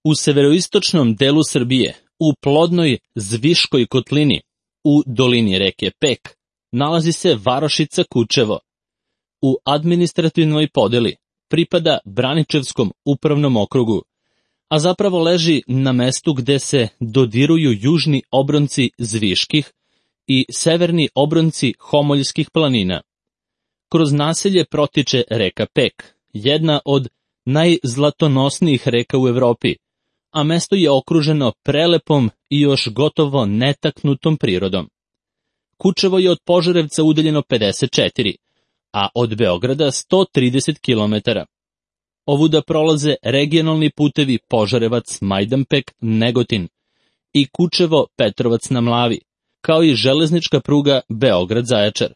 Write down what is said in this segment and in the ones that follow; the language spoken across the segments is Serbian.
U severoistočnom delu Srbije, u plodnoj Zviškoj kotlini, u dolini reke Pek, nalazi se varošica Kučevo. U administrativnoj podeli pripada Braničevskom upravnom okrugu, a zapravo leži na mestu gde se dodiruju južni obronci Zviških i severni obronci Homoljskih planina. Kroz naselje protiče reka Pek, jedna od najzlatonosnijih reka u Evropi, a mesto je okruženo prelepom i još gotovo netaknutom prirodom. Kučevo je od Požarevca udaljeno 54, a od Beograda 130 km. Ovuda prolaze regionalni putevi Požarevac-Majdanpek-Negotin i Kučevo-Petrovac na Mlavi, kao i železnička pruga Beograd-Zaječar.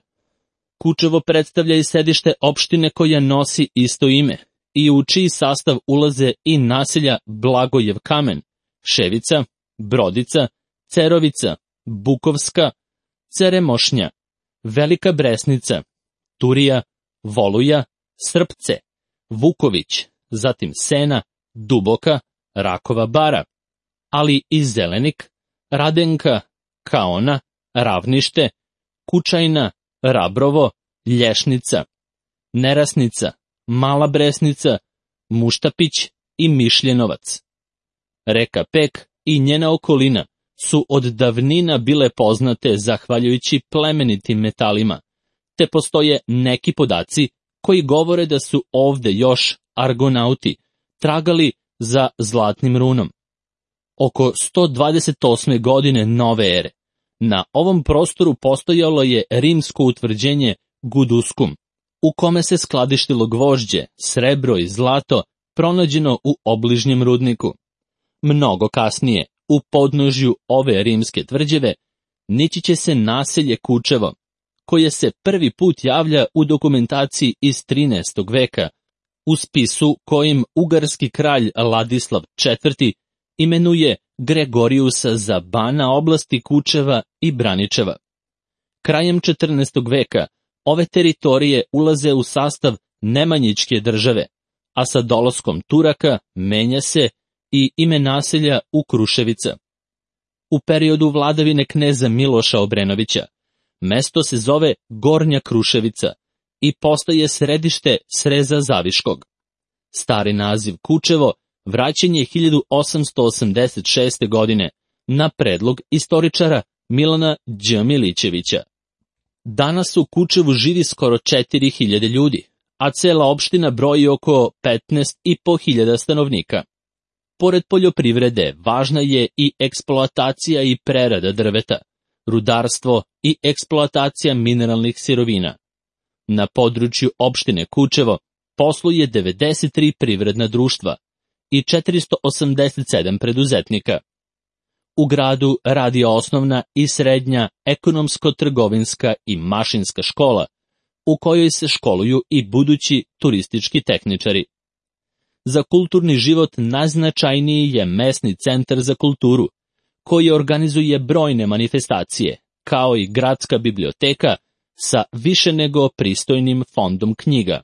Kučevo predstavlja i sedište opštine koja nosi isto ime i u čiji sastav ulaze i naselja Blagojev Kamen, Ševica, Brodica, Cerovica, Bukovska, Ceremošnja, Velika Bresnica, Turija, Voluja, Srpce, Vuković, zatim Sena, Duboka, Rakova Bara, ali i Zelenik, Radenka, Kaona, Ravnište, Kučajna, Rabrovo, Lješnica, Nerasnica, Mala Bresnica, Muštapić i Mišljenovac. Reka Pek i njena okolina su od davnina bile poznate zahvaljujući plemenitim metalima, te postoje neki podaci koji govore da su ovde još argonauti tragali za zlatnim runom. Oko 128. godine nove ere na ovom prostoru postojalo je rimsko utvrđenje Guduskum, u kome se skladištilo gvožđe, srebro i zlato pronađeno u obližnjem rudniku. Mnogo kasnije, u podnožju ove rimske tvrđave, nići će se naselje Kučevo, koje se prvi put javlja u dokumentaciji iz 13. veka, u spisu kojim ugarski kralj Ladislav IV. Imenuje Gregorijusa za bana oblasti Kučeva i Braničeva. Krajem 14. veka ove teritorije ulaze u sastav Nemanjićke države, a sa dolaskom Turaka menja se i ime naselja u Kruševica. U periodu vladavine kneza Miloša Obrenovića mesto se zove Gornja Kruševica i postaje središte sreza Zaviškog. Stari naziv Kučevo vraćen je 1886. godine na predlog istoričara Milana Đ. Milićevića. Danas u Kučevu živi skoro 4000 ljudi, a cela opština broji oko 15.500 stanovnika. Pored poljoprivrede, važna je i eksploatacija i prerada drveta, rudarstvo i eksploatacija mineralnih sirovina. Na području opštine Kučevo posluje 93 privredna društva i 487 preduzetnika. U gradu radi osnovna i srednja ekonomsko-trgovinska i mašinska škola, u kojoj se školuju i budući turistički tehničari. Za kulturni život najznačajniji je mesni centar za kulturu, koji organizuje brojne manifestacije, kao i gradska biblioteka sa više nego pristojnim fondom knjiga.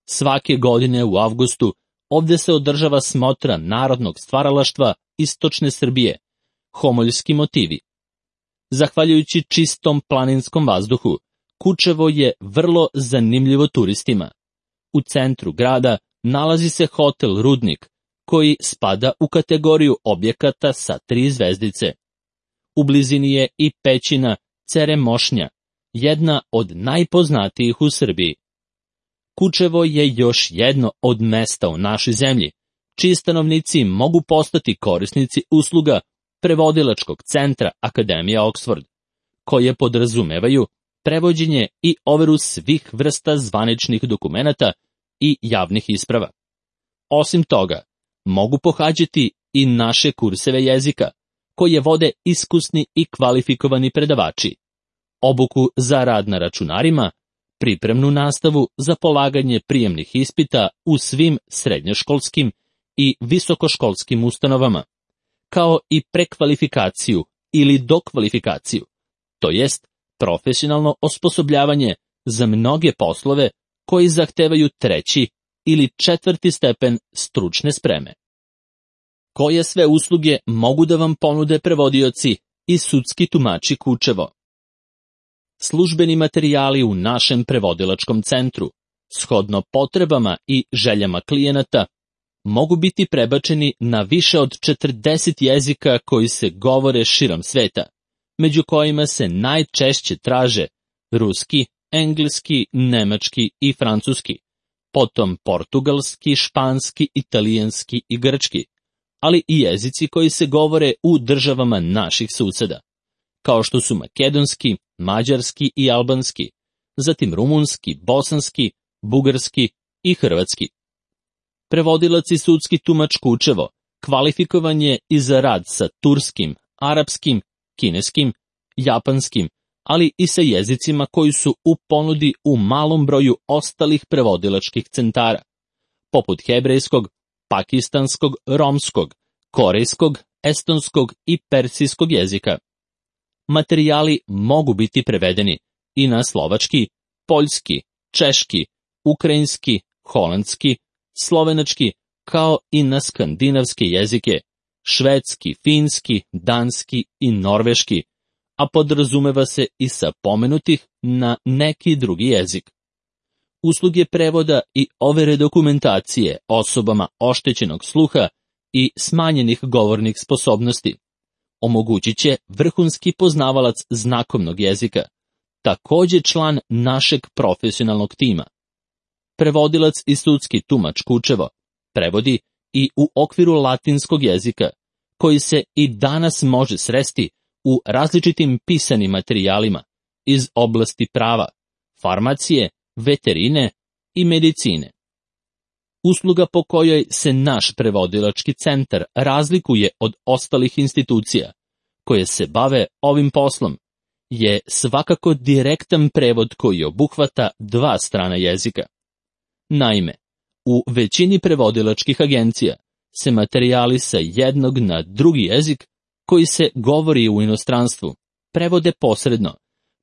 Svake godine u avgustu ovde se održava smotra narodnog stvaralaštva Istočne Srbije, Homoljski motivi. Zahvaljujući čistom planinskom vazduhu, Kučevo je vrlo zanimljivo turistima. U centru grada nalazi se hotel Rudnik, koji spada u kategoriju objekata sa 3 zvezdice. U blizini je i pećina Ceremošnja, jedna od najpoznatijih u Srbiji. Kučevo je još jedno od mesta u našoj zemlji, čiji stanovnici mogu postati korisnici usluga prevodilačkog centra Akademija Oxford, koje podrazumevaju prevođenje i overu svih vrsta zvaničnih dokumenata i javnih isprava. Osim toga, mogu pohađati i naše kurseve jezika, koje vode iskusni i kvalifikovani predavači, obuku za rad na računarima, pripremnu nastavu za polaganje prijemnih ispita u svim srednjoškolskim i visokoškolskim ustanovama, kao i prekvalifikaciju ili dokvalifikaciju, to jest profesionalno osposobljavanje za mnoge poslove koji zahtevaju 3. ili 4. stepen stručne spreme. koje sve usluge mogu da vam ponude prevodioci i sudski tumači Kučevo. Službeni materijali u našem prevodilačkom centru, shodno potrebama i željama klijenata, mogu biti prebačeni na više od 40 jezika koji se govore širom sveta, među kojima se najčešće traže ruski, engleski, nemački i francuski, potom portugalski, španski, italijanski i grčki, ali i jezici koji se govore u državama naših suseda, kao što su makedonski, mađarski i albanski, zatim rumunski, bosanski, bugarski i hrvatski. Prevodilac i sudski tumač Kučevo kvalifikovan je i za rad sa turskim, arapskim, kineskim, japanskim, ali i sa jezicima koji su u ponudi u malom broju ostalih prevodilačkih centara, poput hebrejskog, pakistanskog, romskog, korejskog, estonskog i persijskog jezika. Materijali mogu biti prevedeni i na slovački, poljski, češki, ukrajinski, holandski, slovenački, kao i na skandinavske jezike, švedski, finski, danski i norveški, a podrazumeva se i sa pomenutih na neki drugi jezik. Usluge prevoda i overe dokumentacije osobama oštećenog sluha i smanjenih govornih sposobnosti omogućit će vrhunski poznavalac znakovnog jezika, također član našeg profesionalnog tima. Prevodilac i sudski tumač Kučevo prevodi i u okviru latinskog jezika, koji se i danas može sresti u različitim pisanim materijalima iz oblasti prava, farmacije, veterine i medicine. Usluga po kojoj se naš prevodilački centar razlikuje od ostalih institucija koje se bave ovim poslom je svakako direktan prevod koji obuhvata dva strana jezika. Naime, u većini prevodilačkih agencija se materijali sa jednog na drugi jezik koji se govori u inostranstvu prevode posredno,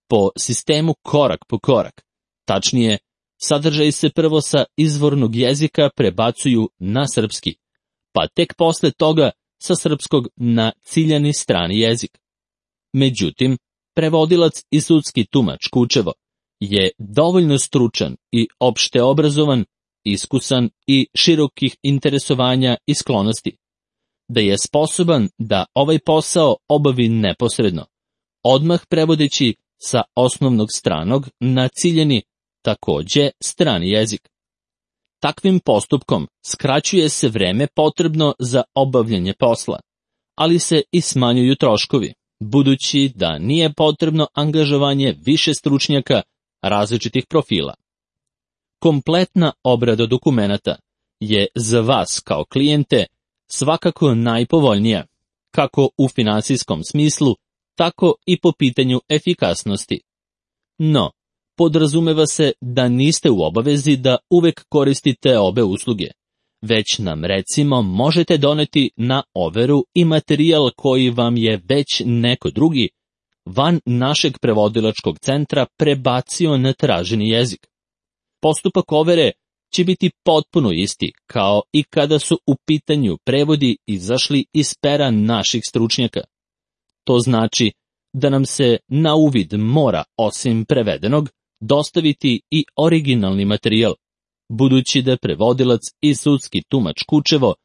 po sistemu korak po korak. Tačnije, sadržaj se prvo sa izvornog jezika prebacuju na srpski, pa tek posle toga sa srpskog na ciljani strani jezik. Međutim, prevodilac i sudski tumač Kučevo je dovoljno stručan i opšte obrazovan, iskusan i širokih interesovanja i sklonosti, da je sposoban da ovaj posao obavi neposredno, odmah prevodeći sa osnovnog stranog na ciljeni, takođe strani jezik. Takvim postupkom skraćuje se vreme potrebno za obavljanje posla, ali se i smanjuju troškovi, budući da nije potrebno angažovanje više stručnjaka različitih profila. Kompletna obrada dokumenata je za vas kao klijente svakako najpovoljnija, kako u finansijskom smislu, tako i po pitanju efikasnosti. No, podrazumeva se da niste u obavezi da uvek koristite obe usluge, već nam recimo možete doneti na overu i materijal koji vam je već neko drugi van našeg prevodilačkog centra prebacio na traženi jezik. Postupak overe će biti potpuno isti kao i kada su u pitanju prevodi izašli iz pera naših stručnjaka. To znači da nam se na uvid mora, osim prevedenog, dostaviti i originalni materijal, budući da prevodilac i sudski tumač Kučevo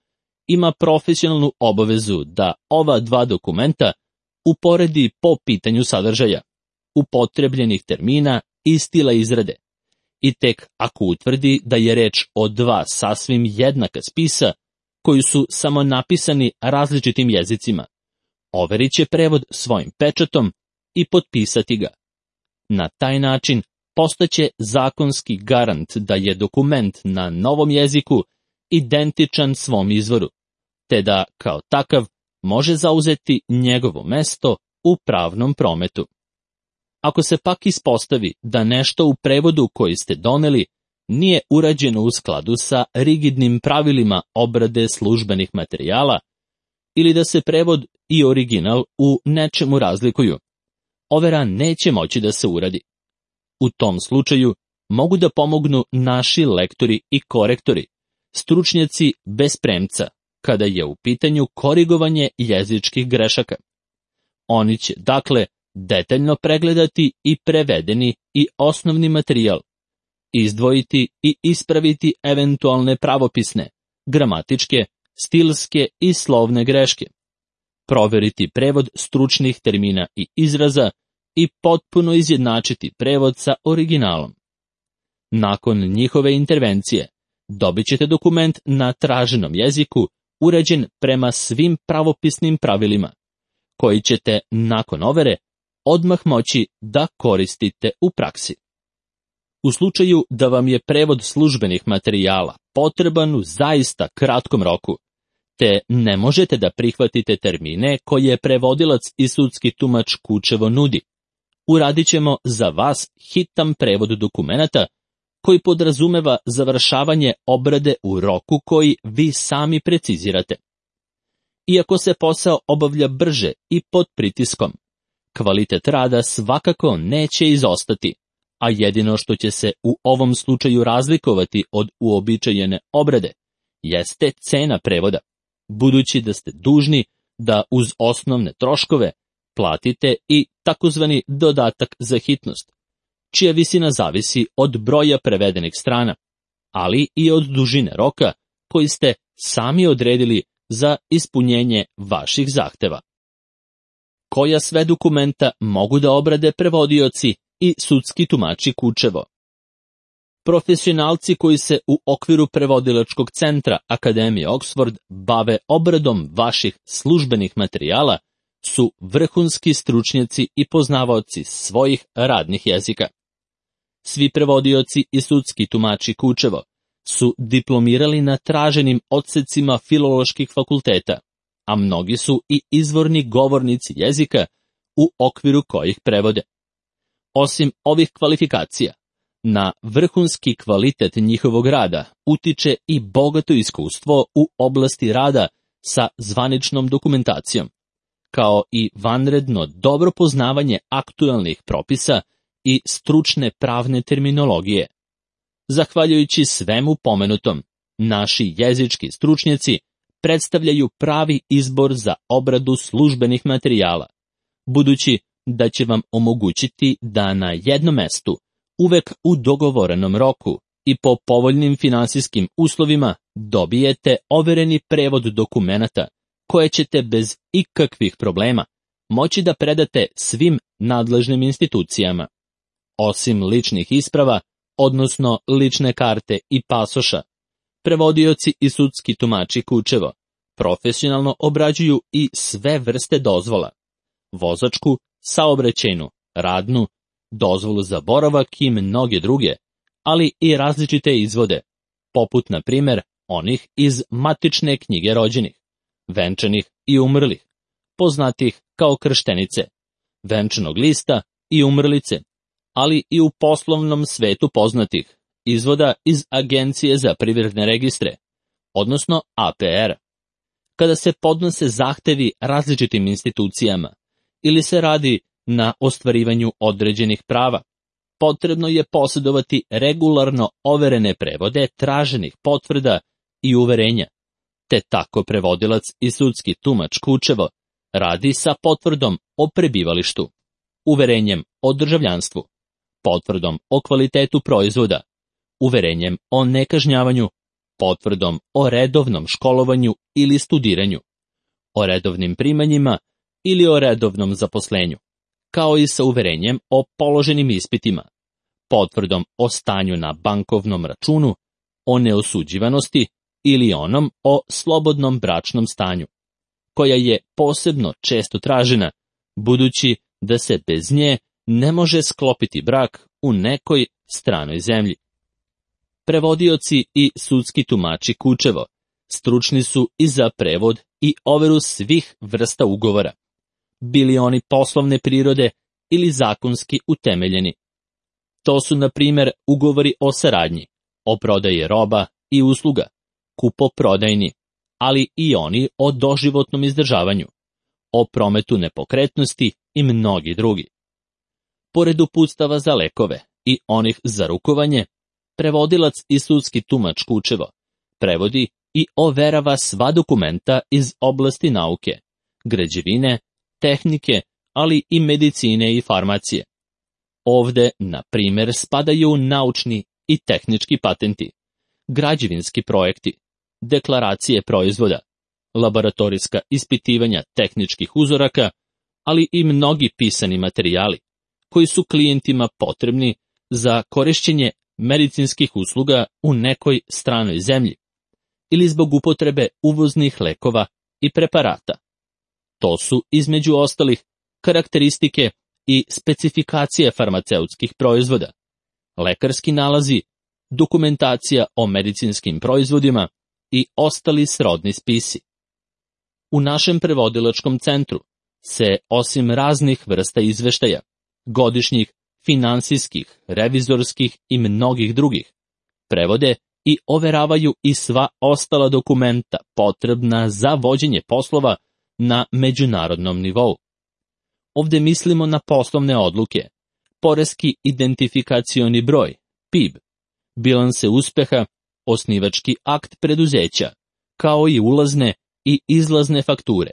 ima profesionalnu obavezu da ova dva dokumenta uporedi po pitanju sadržaja, upotrebljenih termina i stila izrade. I tek ako utvrdi da je reč o dva sasvim jednaka spisa, koji su samo napisani različitim jezicima, overit će prevod svojim pečatom i potpisati ga. Na taj način postaće zakonski garant da je dokument na novom jeziku identičan svom izvoru, te da, kao takav, može zauzeti njegovo mesto u pravnom prometu. Ako se pak ispostavi da nešto u prevodu koji ste doneli nije urađeno u skladu sa rigidnim pravilima obrade službenih materijala, ili da se prevod i original u nečemu razlikuju, overa neće moći da se uradi. U tom slučaju mogu da pomognu naši lektori i korektori, stručnjaci bez premca, kada je u pitanju korigovanje jezičkih grešaka. Oni će, dakle, detaljno pregledati i prevedeni i osnovni materijal, izdvojiti i ispraviti eventualne pravopisne, gramatičke, stilske i slovne greške, proveriti prevod stručnih termina i izraza i potpuno izjednačiti prevod sa originalom. Nakon njihove intervencije dobit ćete dokument na traženom jeziku uređen prema svim pravopisnim pravilima, koji ćete nakon overe odmah moći da koristite u praksi. U slučaju da vam je prevod službenih materijala potreban u zaista kratkom roku, te ne možete da prihvatite termine koje prevodilac i sudski tumač Kučevo nudi, uradit ćemo za vas hitan prevod dokumenata koji podrazumeva završavanje obrade u roku koji vi sami precizirate. Iako se posao obavlja brže i pod pritiskom, kvalitet rada svakako neće izostati, a jedino što će se u ovom slučaju razlikovati od uobičajene obrade jeste cena prevoda, budući da ste dužni da uz osnovne troškove platite i takozvani dodatak za hitnost, čija visina zavisi od broja prevedenih strana, ali i od dužine roka koji ste sami odredili za ispunjenje vaših zahteva. Koja sve dokumenta mogu da obrade prevodioci i sudski tumači Kučevo? Profesionalci koji se u okviru prevodilačkog centra Akademije Oxford bave obradom vaših službenih materijala su vrhunski stručnjaci i poznavaoci svojih radnih jezika. Svi prevodioci i sudski tumači Kučevo su diplomirali na traženim odsecima filoloških fakulteta, a mnogi su i izvorni govornici jezika u okviru kojih prevode. Osim ovih kvalifikacija, na vrhunski kvalitet njihovog rada utiče i bogato iskustvo u oblasti rada sa zvaničnom dokumentacijom, kao i vanredno dobro poznavanje aktualnih propisa i stručne pravne terminologije. Zahvaljujući svemu pomenutom, naši jezički stručnjaci predstavljaju pravi izbor za obradu službenih materijala, budući da će vam omogućiti da na jednom mestu, uvek u dogovorenom roku i po povoljnim finansijskim uslovima dobijete overeni prevod dokumenata koje ćete bez ikakvih problema moći da predate svim nadležnim institucijama. Osim ličnih isprava, odnosno lične karte i pasoša, prevodioci i sudski tumači Kučevo profesionalno obrađuju i sve vrste dozvola: vozačku, saobraćajnu, radnu, dozvolu za boravak i mnoge druge, ali i različite izvode, poput na primer onih iz matične knjige rođenih, venčanih i umrlih, poznatih kao krštenice, venčanog lista i umrlice, ali i u poslovnom svetu poznatih izvoda iz Agencije za privredne registre, odnosno APR. Kada se podnose zahtevi različitim institucijama ili se radi na ostvarivanju određenih prava, potrebno je posjedovati regularno overene prevode traženih potvrda i uverenja, te tako prevodilac i sudski tumač Kučevo radi sa potvrdom o prebivalištu, uverenjem o državljanstvu, potvrdom o kvalitetu proizvoda, uverenjem o nekažnjavanju, potvrdom o redovnom školovanju ili studiranju, o redovnim primanjima ili o redovnom zaposlenju, kao i sa uverenjem o položenim ispitima, potvrdom o stanju na bankovnom računu, o neosuđivanosti ili onom o slobodnom bračnom stanju, koja je posebno često tražena, budući da se bez nje ne može sklopiti brak u nekoj stranoj zemlji. Prevodioci i sudski tumači Kučevo stručni su i za prevod i overu svih vrsta ugovora, bili oni poslovne prirode ili zakonski utemeljeni. To su, na primjer, ugovori o saradnji, o prodaji roba i usluga, kupoprodajni, ali i oni o doživotnom izdržavanju, o prometu nepokretnosti i mnogi drugi. Pored uputstava za lekove i onih za rukovanje, prevodilac i sudski tumač Kučevo prevodi i overava sva dokumenta iz oblasti nauke, građevine, tehnike, ali i medicine i farmacije. Ovde, na primjer, spadaju naučni i tehnički patenti, građevinski projekti, deklaracije proizvoda, laboratorijska ispitivanja tehničkih uzoraka, ali i mnogi pisani materijali, koji su klijentima potrebni za korišćenje medicinskih usluga u nekoj stranoj zemlji ili zbog upotrebe uvoznih lekova i preparata. To su, između ostalih, karakteristike i specifikacije farmaceutskih proizvoda, lekarski nalazi, dokumentacija o medicinskim proizvodima i ostali srodni spisi. U našem prevodilačkom centru se, osim raznih vrsta izveštaja, godišnjih, finansijskih, revizorskih i mnogih drugih, prevode i overavaju i sva ostala dokumenta potrebna za vođenje poslova na međunarodnom nivou. Ovde mislimo na poslovne odluke, poreski identifikacioni broj, PIB, bilanse uspeha, osnivački akt preduzeća, kao i ulazne i izlazne fakture,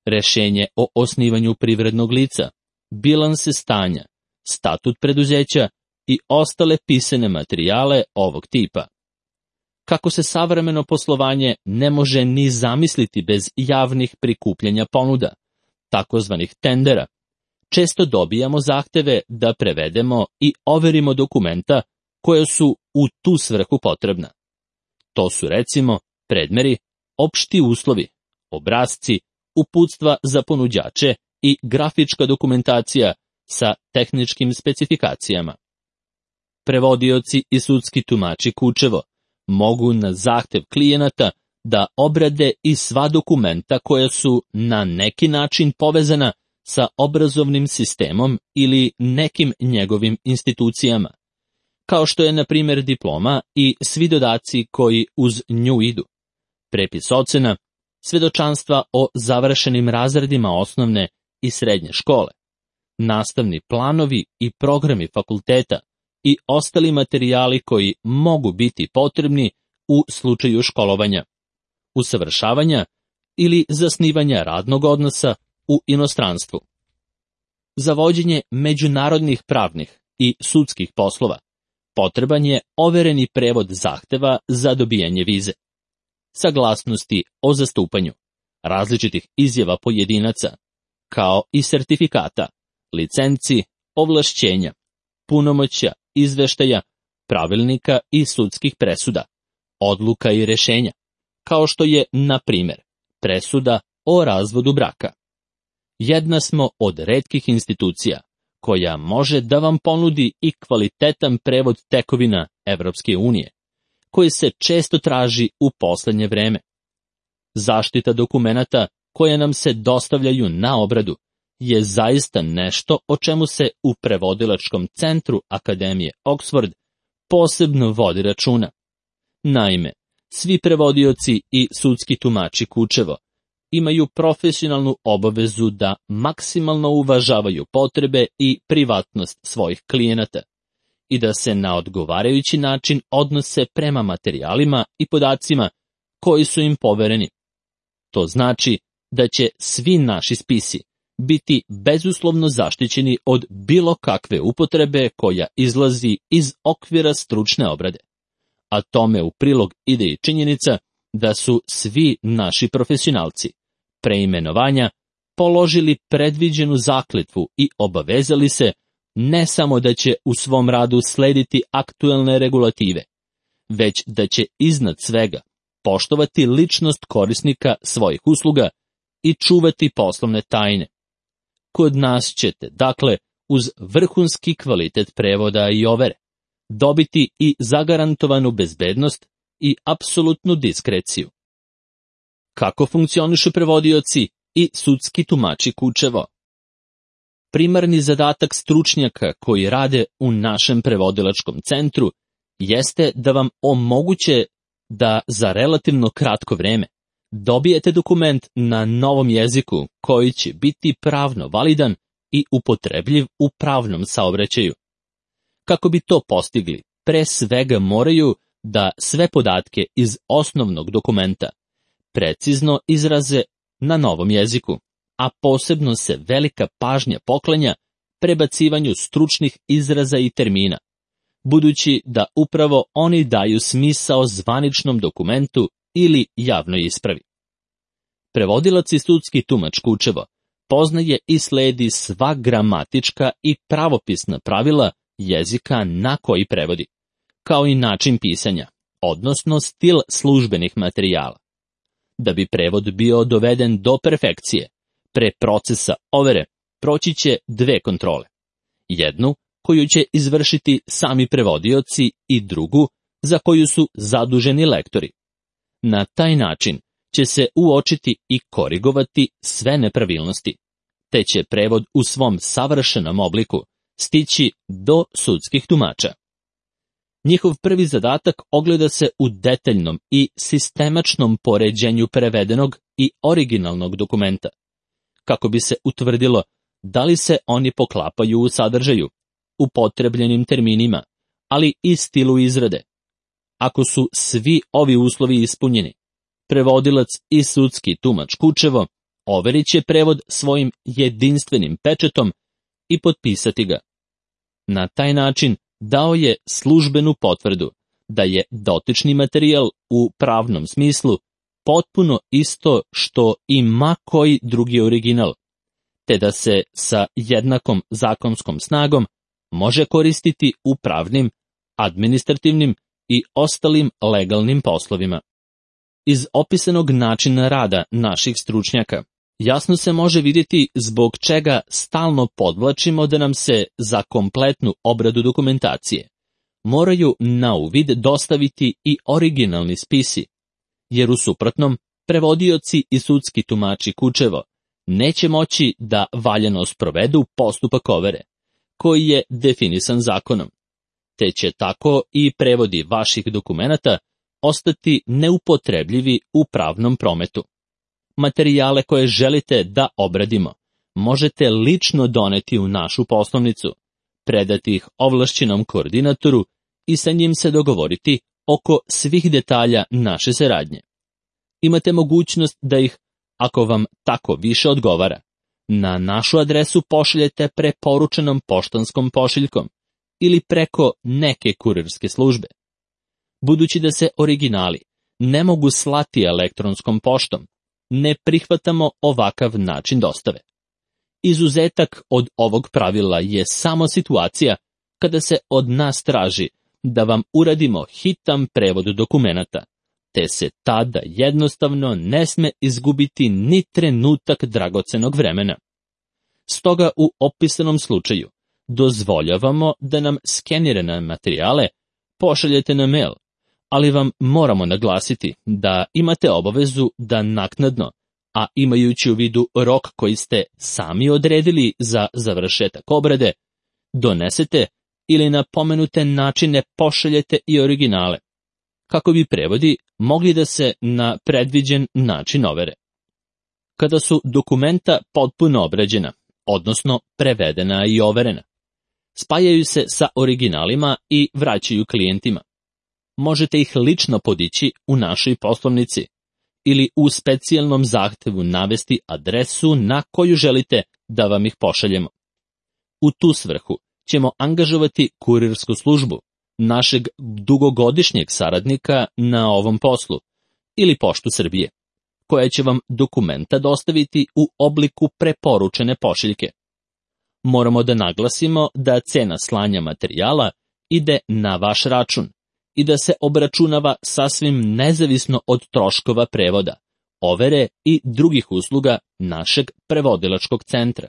rešenje o osnivanju privrednog lica, bilanse stanja, statut preduzeća i ostale pisane materijale ovog tipa. Kako se savremeno poslovanje ne može ni zamisliti bez javnih prikupljanja ponuda, takozvanih tendera, često dobijamo zahteve da prevedemo i overimo dokumenta koja su u tu svrhu potrebna. To su recimo predmeri, opšti uslovi, obrasci, uputstva za ponuđače i grafička dokumentacija sa tehničkim specifikacijama. Prevodioci i sudski tumači Kučevo mogu na zahtev klijenata da obrade i sva dokumenta koja su na neki način povezana sa obrazovnim sistemom ili nekim njegovim institucijama, kao što je na primjer diploma i svi dodaci koji uz nju idu, prepis ocena, svedočanstva o završenim razredima osnovne i srednje škole, nastavni planovi i programi fakulteta i ostali materijali koji mogu biti potrebni u slučaju školovanja, usavršavanja ili zasnivanja radnog odnosa u inostranstvu. Za vođenje međunarodnih pravnih i sudskih poslova potreban je overeni prevod zahteva za dobijanje vize, saglasnosti o zastupanju, različitih izjava pojedinaca, kao i sertifikata, licenci, ovlašćenja, punomoćja, izveštaja, pravilnika i sudskih presuda, odluka i rešenja, kao što je, na primjer, presuda o razvodu braka. Jedna smo od retkih institucija koja može da vam ponudi i kvalitetan prevod tekovina Evropske unije, koji se često traži u poslednje vreme. Zaštita dokumenata koje nam se dostavljaju na obradu je zaista nešto o čemu se u prevodilačkom centru Akademije Oxford posebno vodi računa. Naime, svi prevodioci i sudski tumači Kučevo imaju profesionalnu obavezu da maksimalno uvažavaju potrebe i privatnost svojih klijenata i da se na odgovarajući način odnose prema materijalima i podacima koji su im povereni. To znači da će svi naši spisi biti bezuslovno zaštićeni od bilo kakve upotrebe koja izlazi iz okvira stručne obrade. A tome u prilog ide i činjenica da su svi naši profesionalci preimenovanja položili predviđenu zakletvu i obavezali se ne samo da će u svom radu slediti aktuelne regulative, već da će iznad svega poštovati ličnost korisnika svojih usluga i čuvati poslovne tajne. Kod nas ćete, dakle, uz vrhunski kvalitet prevoda i overe, dobiti i zagarantovanu bezbednost i apsolutnu diskreciju. Kako funkcionišu prevodioci i sudski tumači Kučevo? Primarni zadatak stručnjaka koji rade u našem prevodilačkom centru jeste da vam omoguće da za relativno kratko vreme dobijete dokument na novom jeziku koji će biti pravno validan i upotrebljiv u pravnom saobraćaju. Kako bi to postigli, pre svega moraju da sve podatke iz osnovnog dokumenta precizno izraze na novom jeziku, a posebno se velika pažnja poklanja prebacivanju stručnih izraza i termina, budući da upravo oni daju smisao zvaničnom dokumentu ili javnoj ispravi. Prevodilac i sudski tumač Kučevo poznaje i sledi sva gramatička i pravopisna pravila jezika na koji prevodi, kao i način pisanja, odnosno stil službenih materijala. Da bi prevod bio doveden do perfekcije, pre procesa overe proći će dve kontrole. Jednu koju će izvršiti sami prevodioci i drugu za koju su zaduženi lektori. Na taj način će se uočiti i korigovati sve nepravilnosti, te će prevod u svom savršenom obliku stići do sudskih tumača. Njihov prvi zadatak ogleda se u detaljnom i sistemačnom poređenju prevedenog i originalnog dokumenta, kako bi se utvrdilo da li se oni poklapaju u sadržaju, upotrebljenim terminima, ali i stilu izrade. Ako su svi ovi uslovi ispunjeni, prevodilac i sudski tumač Kučevo overit će prevod svojim jedinstvenim pečetom i potpisati ga. Na taj način dao je službenu potvrdu da je dotični materijal u pravnom smislu potpuno isto što i ma koji drugi original, te da se sa jednakom zakonskom snagom može koristiti u pravnim, administrativnim i ostalim legalnim poslovima. Iz opisanog načina rada naših stručnjaka jasno se može vidjeti zbog čega stalno podvlačimo da nam se za kompletnu obradu dokumentacije moraju na uvid dostaviti i originalni spisi, jer u suprotnom prevodioci i sudski tumači Kučevo neće moći da valjano sprovedu postupak overe, koji je definisan zakonom, te će tako i prevodi vaših dokumenata ostati neupotrebljivi u pravnom prometu. Materijale koje želite da obradimo možete lično doneti u našu poslovnicu, predati ih ovlašćenom koordinatoru i sa njim se dogovoriti oko svih detalja naše saradnje. Imate mogućnost da ih, ako vam tako više odgovara, na našu adresu pošaljete preporučenom poštanskom pošiljkom ili preko neke kurirske službe. Budući da se originali ne mogu slati elektronskom poštom, ne prihvatamo ovakav način dostave. Izuzetak od ovog pravila je samo situacija kada se od nas traži da vam uradimo hitan prevod dokumenata, te se tada jednostavno ne sme izgubiti ni trenutak dragocenog vremena. Stoga u opisanom slučaju dozvoljavamo da nam skenirane materijale pošaljete na mail, ali vam moramo naglasiti da imate obavezu da naknadno, a imajući u vidu rok koji ste sami odredili za završetak obrade, donesete ili na pomenute načine pošaljete i originale, kako bi prevodi mogli da se na predviđen način overe. Kada su dokumenta potpuno obrađena, odnosno prevedena i overena, spajaju se sa originalima i vraćaju klijentima. Možete ih lično podići u našoj poslovnici ili u specijalnom zahtevu navesti adresu na koju želite da vam ih pošaljemo. U tu svrhu ćemo angažovati kurirsku službu, našeg dugogodišnjeg saradnika na ovom poslu, ili Poštu Srbije, koja će vam dokumenta dostaviti u obliku preporučene pošiljke. Moramo da naglasimo da cena slanja materijala ide na vaš račun i da se obračunava sasvim nezavisno od troškova prevoda, overe i drugih usluga našeg prevodilačkog centra.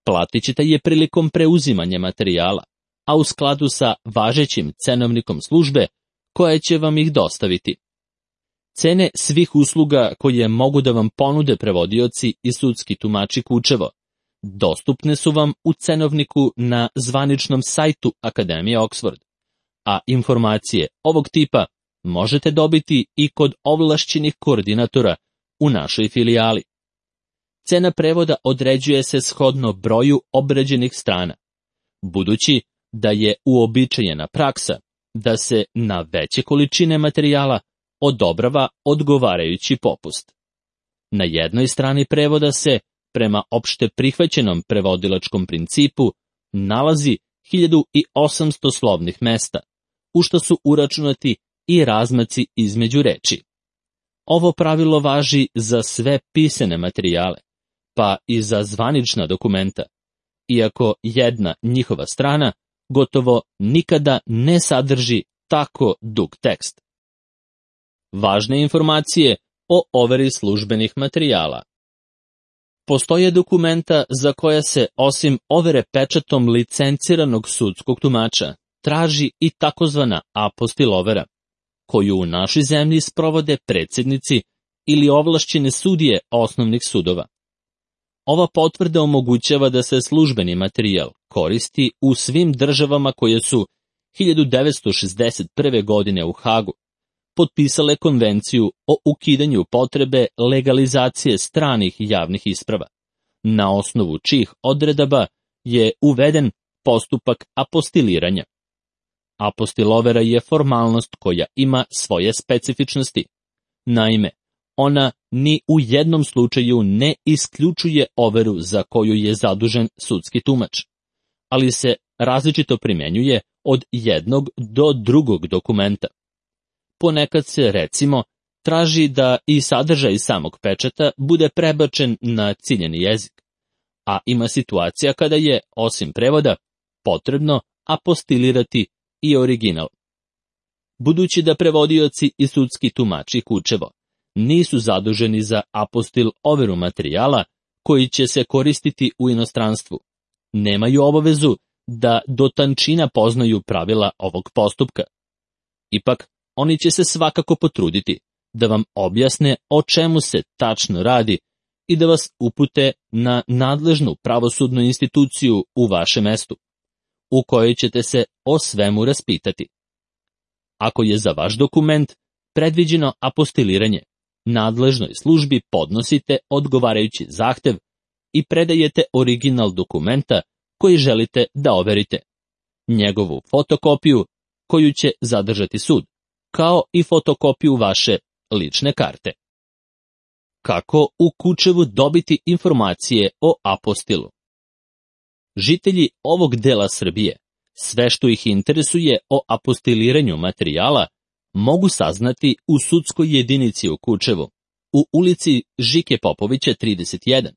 Platit ćete je prilikom preuzimanja materijala, a u skladu sa važećim cenovnikom službe koja će vam ih dostaviti. Cene svih usluga koje mogu da vam ponude prevodioci i sudski tumači Kučevo dostupne su vam u cenovniku na zvaničnom sajtu Akademije Oxford, a informacije ovog tipa možete dobiti i kod ovlašćenih koordinatora u našoj filijali. Cena prevoda određuje se shodno broju obrađenih strana. Budući da je uobičajena praksa da se na veće količine materijala odobrava odgovarajući popust. Na jednoj strani prevoda se, prema opšte prihvaćenom prevodilačkom principu, nalazi 1800 slovnih mesta, u što su uračunati i razmaci između reči. Ovo pravilo važi za sve pisane materijale, pa i za zvanična dokumenta, iako jedna njihova strana gotovo nikada ne sadrži tako dug tekst. Važne informacije o overi službenih materijala. Postoje dokumenta za koja se, osim overe pečatom licenciranog sudskog tumača, traži i takozvana apostil overa, koju u našoj zemlji sprovode predsjednici ili ovlašćene sudije osnovnih sudova. Ova potvrda omogućava da se službeni materijal koristi u svim državama koje su 1961. godine u Hagu potpisale konvenciju o ukidanju potrebe legalizacije stranih javnih isprava, na osnovu čijih odredaba je uveden postupak apostiliranja. Apostilovera je formalnost koja ima svoje specifičnosti. Naime, ona ni u jednom slučaju ne isključuje overu za koju je zadužen sudski tumač, ali se različito primjenjuje od jednog do drugog dokumenta. Ponekad se, recimo, traži da i sadržaj samog pečata bude prebačen na ciljani jezik, a ima situacija kada je, osim prevoda, potrebno apostilirati i original. Budući da prevodioci i sudski tumači Kučevo nisu zaduženi za apostil overu materijala koji će se koristiti u inostranstvu, nemaju obavezu da do tančina poznaju pravila ovog postupka. Ipak, oni će se svakako potruditi da vam objasne o čemu se tačno radi i da vas upute na nadležnu pravosudnu instituciju u vašem mestu, u kojoj ćete se o svemu raspitati. Ako je za vaš dokument predviđeno apostiliranje, nadležnoj službi podnosite odgovarajući zahtev i predajete original dokumenta koji želite da overite, njegovu fotokopiju koju će zadržati sud, kao i fotokopiju vaše lične karte. Kako u Kučevu dobiti informacije o apostilu? Žitelji ovog dela Srbije sve što ih interesuje o apostiliranju materijala mogu saznati u sudskoj jedinici u Kučevu, u ulici Žike Popovića 31,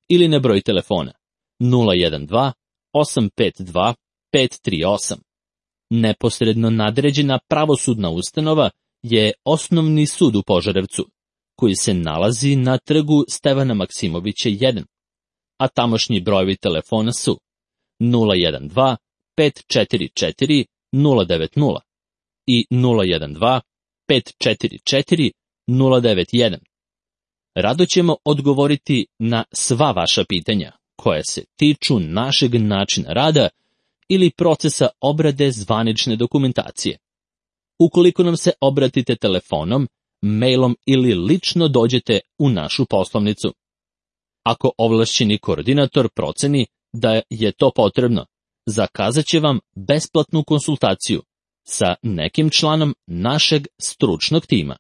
ili na broj telefona 012 852 538. Neposredno nadređena pravosudna ustanova je Osnovni sud u Požarevcu, koji se nalazi na trgu Stevana Maksimovića 1, a tamošnji brojevi telefona su 012 544 090 i 012 544 091. Rado ćemo odgovoriti na sva vaša pitanja koja se tiču našeg načina rada ili procesa obrade zvanične dokumentacije. Ukoliko nam se obratite telefonom, mailom ili lično dođete u našu poslovnicu. Ako ovlašćeni koordinator proceni da je to potrebno, zakazat će vam besplatnu konsultaciju sa nekim članom našeg stručnog tima.